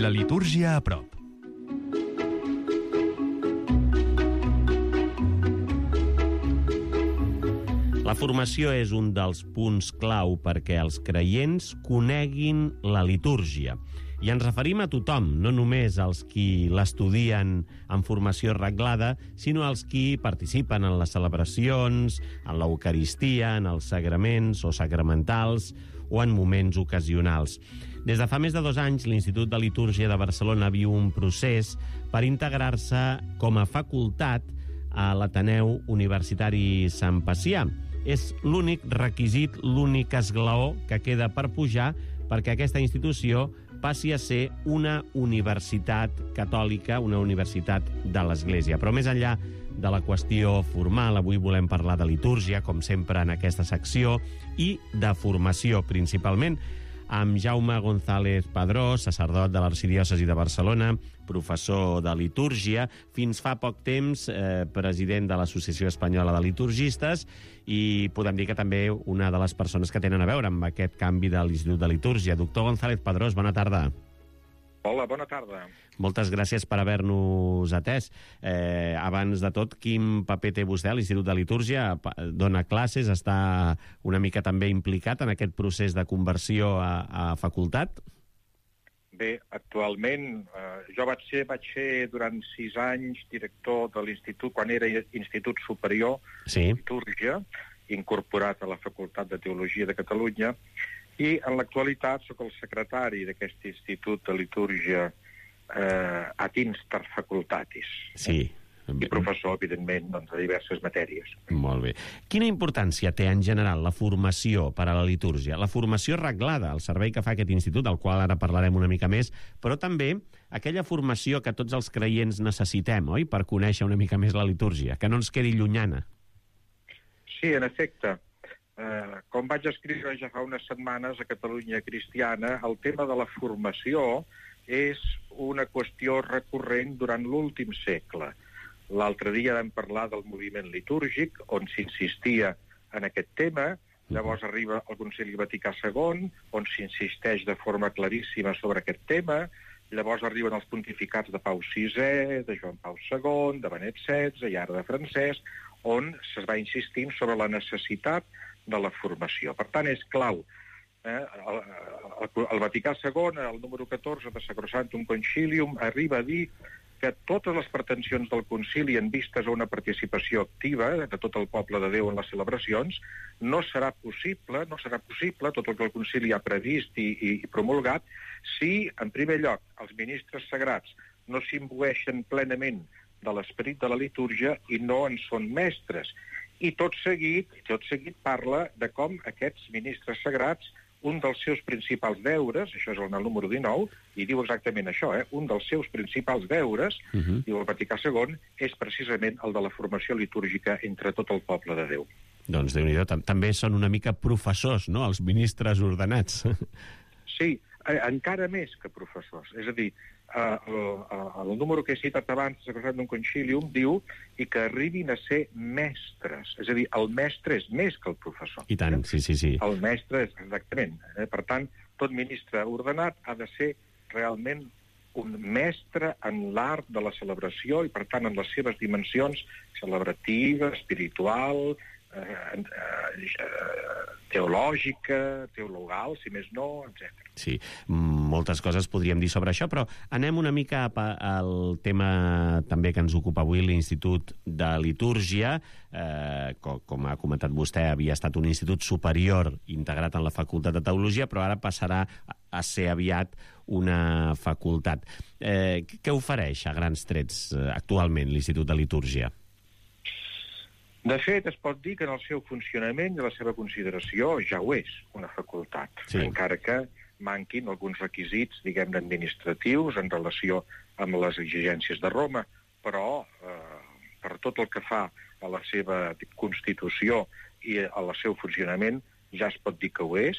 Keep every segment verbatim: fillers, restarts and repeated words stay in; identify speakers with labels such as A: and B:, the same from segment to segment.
A: La litúrgia a prop.
B: La formació és un dels punts clau perquè els creients coneguin la litúrgia. I ens referim a tothom, no només als qui l'estudien en formació reglada, sinó als qui participen en les celebracions, en l'Eucaristia, en els sagraments o sacramentals o en moments ocasionals. Des de fa més de dos anys, l'Institut de Litúrgia de Barcelona viu un procés per integrar-se com a facultat a l'Ateneu Universitari Sant Pacià. És l'únic requisit, l'únic esglaó que queda per pujar perquè aquesta institució passi a ser una universitat catòlica, una universitat de l'Església. Però més enllà de la qüestió formal, avui volem parlar de litúrgia, com sempre en aquesta secció, i de formació, principalment, amb Jaume González Padró, sacerdot de l'Arxidiòcesi de Barcelona, professor de litúrgia, fins fa poc temps eh, president de l'Associació Espanyola de Liturgistes, i podem dir que també una de les persones que tenen a veure amb aquest canvi de l'Institut de Litúrgia. Doctor González Padrós, bona tarda.
C: Hola, bona tarda.
B: Moltes gràcies per haver-nos atès. Eh, abans de tot, quin paper té vostè a l'Institut de Litúrgia? Dona classes, està una mica també implicat en aquest procés de conversió a, a facultat?
C: Bé, actualment, eh, jo vaig ser, vaig ser durant sis anys director de l'Institut, quan era Institut Superior
B: sí.
C: de Litúrgia, incorporat a la Facultat de Teologia de Catalunya, i en l'actualitat sóc el secretari d'aquest Institut de Litúrgia eh, ad instar facultatis.
B: Sí.
C: I professor, evidentment, doncs, de diverses matèries.
B: Molt bé. Quina importància té en general la formació per a la litúrgia? La formació reglada, el servei que fa aquest institut, del qual ara parlarem una mica més, però també aquella formació que tots els creients necessitem, oi?, per conèixer una mica més la litúrgia, que no ens quedi llunyana.
C: Sí, en efecte. Uh, com vaig escriure ja fa unes setmanes a Catalunya Cristiana, el tema de la formació és una qüestió recurrent durant l'últim segle. L'altre dia vam parlar del moviment litúrgic, on s'insistia en aquest tema, llavors arriba el Concili Vaticà segon, on s'insisteix de forma claríssima sobre aquest tema, llavors arriben els pontificats de Pau sisè, de Joan Pau segon, de Benet setze i ara de Francesc, on es va insistint sobre la necessitat de la formació. Per tant, és clau. Eh? El, el, el Vaticà segon, el número catorze de Sacrosanctum Concilium, arriba a dir que totes les pretensions del concili en vistes a una participació activa de tot el poble de Déu en les celebracions no serà possible, no serà possible tot el que el concili ha previst i, i, i promulgat si, en primer lloc, els ministres sagrats no s'imbueixen plenament de l'esperit de la litúrgia i no en són mestres. I tot seguit, tot seguit parla de com aquests ministres sagrats, un dels seus principals deures, això és el número dinou, i diu exactament això, eh? un dels seus principals deures, uh-huh. diu el Vaticà segon, és precisament el de la formació litúrgica entre tot el poble de Déu.
B: Doncs Déu-n'hi-do, també són una mica professors, no?, els ministres ordenats.
C: Sí, eh, encara més que professors. És a dir, eh, el, el número que he citat abans, Sacrosanctum Concilium, diu i que arribin a ser mestres. És a dir, el mestre és més que el professor.
B: I tant, sí, sí, sí.
C: El mestre és, exactament. Eh? Per tant, tot ministre ordenat ha de ser realment un mestre en l'art de la celebració i, per tant, en les seves dimensions celebrativa, espiritual, Eh, eh, teològica, teologal, si més no, etcètera.
B: Sí, moltes coses podríem dir sobre això, però anem una mica al tema també que ens ocupa avui, l'Institut de Litúrgia. Eh, com, com ha comentat vostè, havia estat un institut superior integrat en la Facultat de Teologia, però ara passarà a ser aviat una facultat. Eh, què ofereix a grans trets eh, actualment l'Institut de Litúrgia?
C: De fet, es pot dir que en el seu funcionament i la seva consideració ja ho és, una facultat, sí. encara que manquin alguns requisits, diguem-ne, administratius en relació amb les exigències de Roma, però eh, per tot el que fa a la seva constitució i al seu funcionament ja es pot dir que ho és,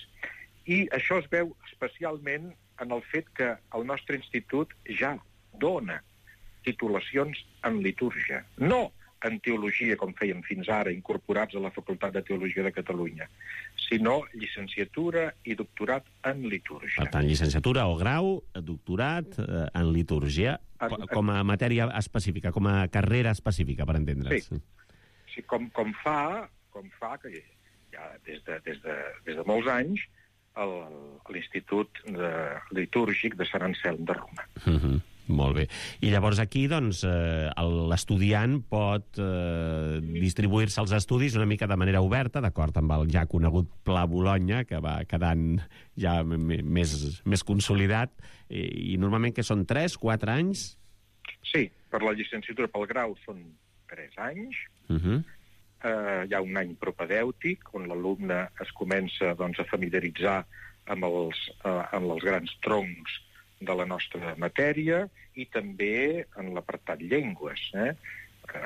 C: i això es veu especialment en el fet que el nostre institut ja dona titulacions en litúrgia. No en teologia, com fèiem fins ara, incorporats a la Facultat de Teologia de Catalunya, sinó llicenciatura i doctorat en litúrgia.
B: Per tant, llicenciatura o grau, doctorat eh, en litúrgia,
C: En-
B: com a matèria específica, com a carrera específica, per entendre's.
C: Sí. Sí, com, com fa, com fa que ja des de, des de, des de molts anys el, l'Institut de, Litúrgic de Sant Anselm de Roma.
B: Uh -huh. Molt bé. I llavors aquí, doncs, eh, l'estudiant pot eh, distribuir-se als estudis una mica de manera oberta, d'acord amb el ja conegut Pla Bologna, que va quedant ja més, més consolidat, i, i normalment que són tres, quatre anys?
C: Sí, per la llicenciatura, pel grau, són tres anys.
B: Uh -huh.
C: eh, hi ha un any propedèutic, on l'alumne es comença doncs, a familiaritzar amb els, eh, amb els grans troncs de la nostra matèria i també en l'apartat llengües, eh?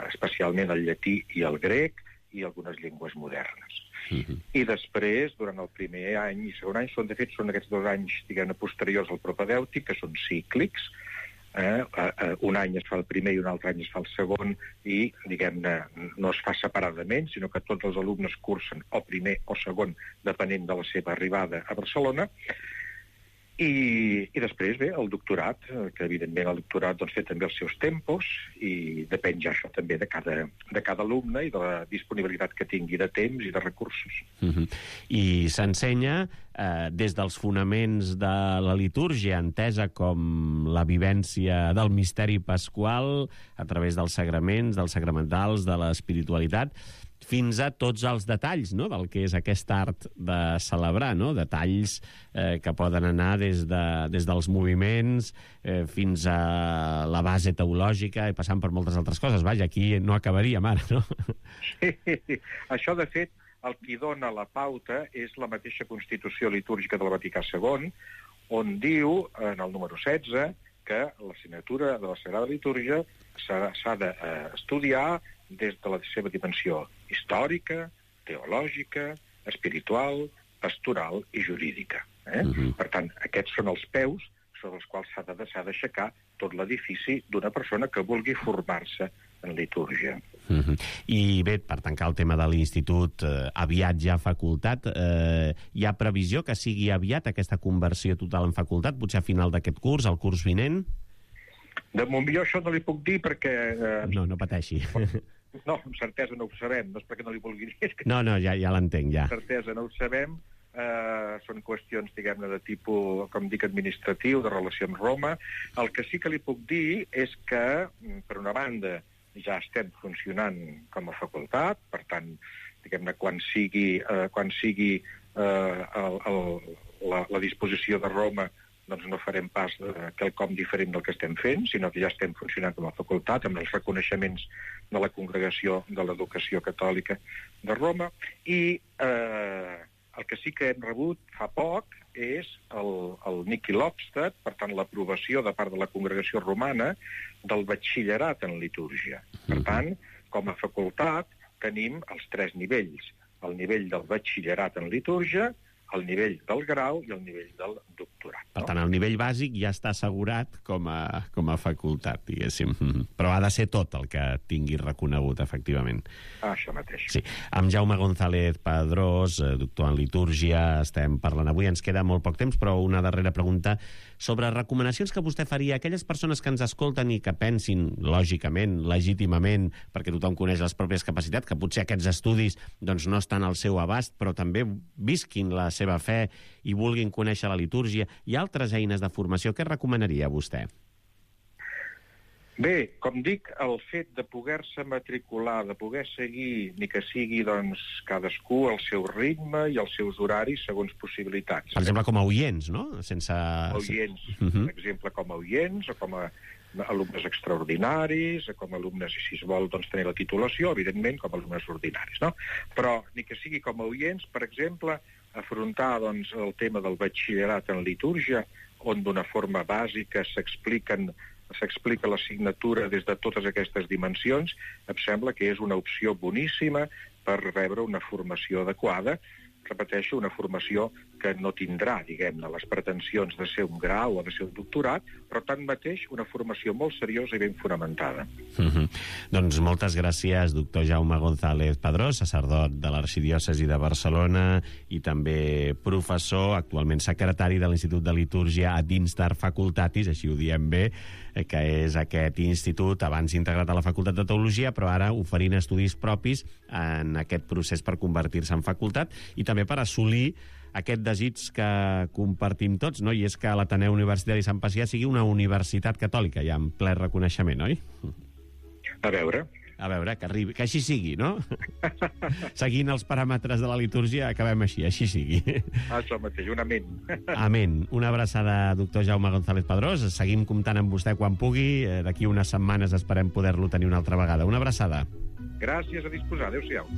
C: especialment el llatí i el grec i algunes llengües modernes.
B: Uh-huh.
C: I després, durant el primer any i segon any, són, de fet, són aquests dos anys, diguem-ne, posteriors al propedèutic, que són cíclics. Eh? Un any es fa el primer i un altre any es fa el segon i, diguem-ne, no es fa separadament, sinó que tots els alumnes cursen o primer o segon, depenent de la seva arribada a Barcelona. I, i després, bé, el doctorat, que evidentment el doctorat doncs, té també els seus tempos i depèn ja això també de cada, de cada alumne i de la disponibilitat que tingui de temps i de recursos.
B: Uh-huh. I s'ensenya eh, des dels fonaments de la litúrgia, entesa com la vivència del misteri pasqual a través dels sagraments, dels sacramentals, de l'espiritualitat, fins a tots els detalls, no?, del que és aquest art de celebrar, no?, detalls eh, que poden anar des, de, des dels moviments eh, fins a la base teològica i passant per moltes altres coses. Vaja, aquí no acabaríem ara, no?
C: Sí, això, de fet, el que dona la pauta és la mateixa Constitució litúrgica del Vaticà segon, on diu, en el número setze, que l'assignatura de la Sagrada Litúrgia s'ha d'estudiar des de la seva dimensió històrica, teològica, espiritual, pastoral i jurídica. Eh? Uh-huh. Per tant, aquests són els peus sobre els quals s'ha d'aixecar tot l'edifici d'una persona que vulgui formar-se en litúrgia.
B: Uh-huh. I bé, per tancar el tema de l'institut, eh, aviat ja facultat, eh, hi ha previsió que sigui aviat aquesta conversió total en facultat, potser a final d'aquest curs, el curs vinent?
C: De moment jo això no li puc dir perquè... Eh,
B: no, no pateixi.
C: No, amb certesa no ho sabem, no és perquè no li vulgui dir. Que...
B: No, no, ja, ja l'entenc, ja.
C: Amb certesa no ho sabem, eh, són qüestions, diguem-ne, de tipus, com dic, administratiu, de relació amb Roma. El que sí que li puc dir és que, per una banda, ja estem funcionant com a facultat, per tant, diguem-ne, quan sigui, eh, quan sigui eh, el, el, la, la disposició de Roma, doncs no farem pas eh, quelcom diferent del que estem fent, sinó que ja estem funcionant com a facultat, amb els reconeixements de la Congregació de l'Educació Catòlica de Roma, i eh, el que sí que hem rebut fa poc és el, el Niki Lobstad, per tant, l'aprovació de part de la Congregació Romana del batxillerat en litúrgia. Per tant, com a facultat, tenim els tres nivells. El nivell del batxillerat en litúrgia, el nivell del grau i el nivell del doctorat.
B: Per tant, el nivell bàsic ja està assegurat com a, com a facultat, diguéssim. Però ha de ser tot el que tingui reconegut, efectivament.
C: Ah, això mateix.
B: Sí. Amb Jaume González Padrós, doctor en litúrgia, estem parlant avui. Ens queda molt poc temps, però una darrera pregunta sobre recomanacions que vostè faria a aquelles persones que ens escolten i que pensin, lògicament, legítimament, perquè tothom coneix les pròpies capacitats, que potser aquests estudis doncs, no estan al seu abast, però també visquin la seva fe i vulguin conèixer la litúrgia. Hi ha altres eines de formació. Què recomanaria vostè?
C: Bé, com dic, el fet de poder-se matricular, de poder seguir, ni que sigui, doncs, cadascú al seu ritme i als seus horaris segons possibilitats.
B: Per exemple, com a oients, no? Sense...
C: Oients,
B: uh -huh.
C: per exemple, com a oients, o com a alumnes extraordinaris, com a alumnes, si es vol, doncs, tenir la titulació, evidentment, com a alumnes ordinaris, no? Però, ni que sigui com a oients, per exemple, afrontar, doncs, el tema del batxillerat en litúrgia, on d'una forma bàsica s'expliquen s'explica l'assignatura des de totes aquestes dimensions, em sembla que és una opció boníssima per rebre una formació adequada repeteixo, una formació que no tindrà, diguem-ne, les pretensions de ser un grau o de ser un doctorat, però tanmateix una formació molt seriosa i ben fonamentada.
B: Mm-hmm. Doncs moltes gràcies, doctor Jaume González Padrós, sacerdot de l'Arxidiòcesi de Barcelona i també professor, actualment secretari de l'Institut de Litúrgia a dins d'Art Facultatis, així ho diem bé, que és aquest institut abans integrat a la Facultat de Teologia, però ara oferint estudis propis en aquest procés per convertir-se en facultat i també per assolir aquest desig que compartim tots, no? I és que l'Ateneu Universitari Sant Pacià sigui una universitat catòlica, ja en ple reconeixement, oi?
C: A veure...
B: A veure, que arribi, que així sigui, no? Seguint els paràmetres de la litúrgia, acabem així, així sigui.
C: Això mateix, un amén.
B: Amén. Una abraçada, doctor Jaume González Padrós. Seguim comptant amb vostè quan pugui. D'aquí unes setmanes esperem poder-lo tenir una altra vegada. Una abraçada.
C: Gràcies, a disposar. Adéu-siau.